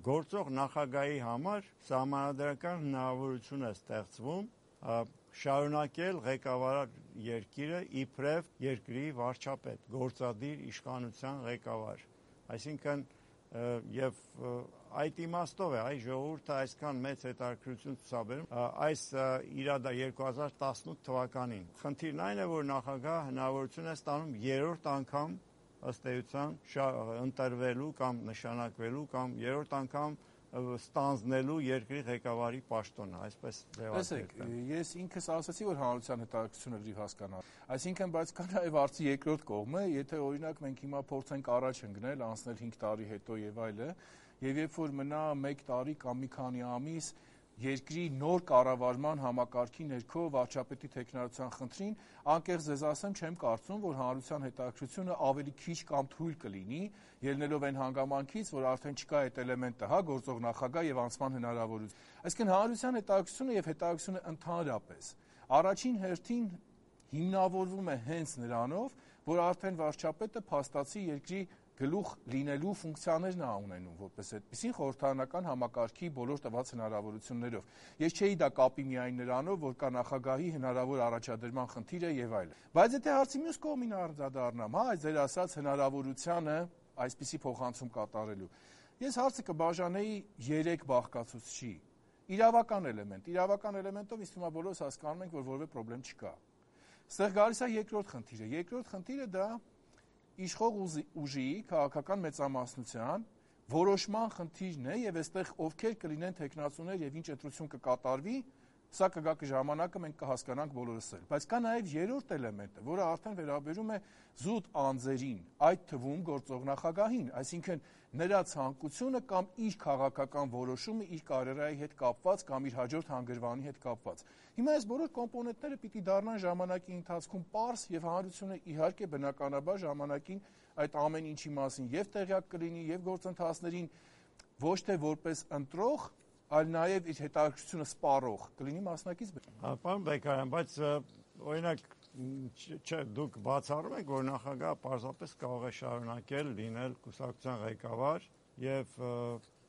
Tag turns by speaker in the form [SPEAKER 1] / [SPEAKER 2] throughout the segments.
[SPEAKER 1] գործող նախագահի համար սահմանադրական հնարավորություն է ստեղծվում շարունակել ղեկավար երկիրը իբրև երկրի վարչապետ, գործադիր իշխանության ղեկավար, այսինքն եւ այդ իմաստով է այ ժողովուրդը այսքան մեծ հետաքրքրություն ցուցաբերում այս իրադա 2018 թվականին։ Խնդիրն այն է, որ նախագահը հնարավորություն է ստանում երրորդ անգամ ըստ էության ընտրվելու կամ նշանակվելու կամ երրորդ անգամ ստանձնելու երկրի ղեկավարի պաշտոնը, այսպես
[SPEAKER 2] ձևակերպել։ Ես ինքս ասացի, որ հանրության հետաքրքրությունը գրիվ հասկանալ։ Այսինքն, բայց կա նաև հարցի երկրորդ կողմը, եթե օրինակ մենք հիմա փորձենք առաջ ընկնել, անցնել 5 տարի հետո եւ այլը, եւ երբ որ մնա 1 տարի կամ մի քանի ամիս երկրի նոր կառավարման համակարգի ներքո վարչապետի տեխնարության խնդրին, անկեղծ ձեզ ասեմ, չեմ կարծում, որ հանրության հետաքրքրությունը ավելի քիչ կամ թույլ կլինի, ելնելով այն հանգամանքից, որ արդեն չկա այդ էլեմենտը, հա, գործող նախագահ եւ անցման հնարավորություն։ Այսինքն հանրության հետաքրքրությունը եւ հետաքրքրությունը ընդհանրապես առաջին հերթին հիմնավորվում է հենց նրանով, որ արդեն վարչապետը փաստացի երկրի գլուխ լինելու ֆունկցիաներն է ունենում որպես այդպեսին խորհրդարանական համակարգի բոլոր տված հնարավորություններով։ Ես չէի դա կապի միայն նրանով, որ կա նախագահի հնարավոր առաջադրման խնդիրը եւ այլն։ Բայց եթե հարցի մյուս կողմին արձադառնամ, հա, այս ձեր ասած հնարավորությանը այսպիսի փոխանցում կատարելու, ես հարցը կբաժանեի 3 բաղկացուցչի։ Իրավական էլեմենտով ինձ թվում է բոլորս հասկանում ենք, որ որևէ խնդրեմ չկա։ Ստեղ գալիս է երկրորդ խնդիրը։ Երկրորդ խնդիրը դա իշխող ուժի քաղաքական մեծամասնության որոշման խնդիրն է եւ այստեղ ովքեր կլինեն տեխնացուներ եւ ինչ ընտրություն կկատարվի, սա կգա ժամանակը մենք կհասկանանք բոլորս էլ։ Բայց կա նաեւ երրորդ էլեմենտը, որը արդեն վերաբերում է զուտ անձերին, այդ թվում գործող նախագահին, այսինքն նրա ցանկությունը կամ իր քաղաքական որոշումը իր կարիերայի հետ կապված կամ իր հաջորդ հանգրվանի հետ կապված։ Հիմա այս բոլոր կոմպոնենտները պիտի դառնան ժամանակի ընթացքում պարզ եւ հանրությունը իհարկե բնականաբար ժամանակին այդ ամեն ինչի մասին եւ տեղյակ կլինի եւ գործընթացներին ոչ թե որպես ընտրող, այլ նաեւ իր հետաքրքրությունը սպառող կլինի մասնակից։
[SPEAKER 1] Պարոն Բեկարյան, բայց օրինակ չէ, դուք բացառում եք, որ նախագահը պարզապես կարող է շարունակել լինել կուսակցության ղեկավար եւ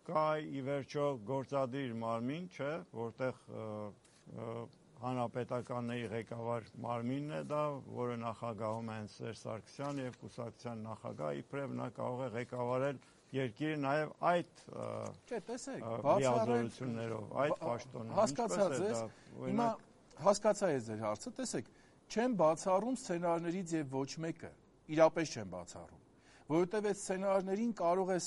[SPEAKER 1] կա ի վերջո գործադիր մարմին, չէ, որտեղ հանրապետականների ղեկավար մարմինն է դա, որը նախագահում է Սերժ Սարգսյան եւ կուսակցության նախագահ, իբրև նա կարող է ղեկավարել երկիրը նաեւ այդ լիազորություններով, այդ պաշտոնով։
[SPEAKER 2] Հասկացած ես, հիմա հասկացա ես ձեր հարցը, տեսեք, չեմ բացառում սցենարներից եւ ոչ մեկը, իրապես չեմ բացառում, որովհետեւ այդ սցենարներին կարող է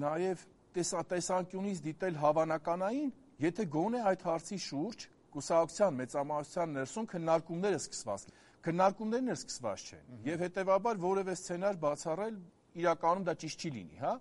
[SPEAKER 2] նաեւ տեսանկյունից դիտել հավանականային, եթե գոնե այդ հարցի շուրջ կուսակցության մեծամասնության ներսում քննարկումները սկսված են։ Քննարկումներն էլ սկսված չեն եւ հետեւաբար որևէ սցենար բացառել իրականում դա ճիշտ չի լինի, հա։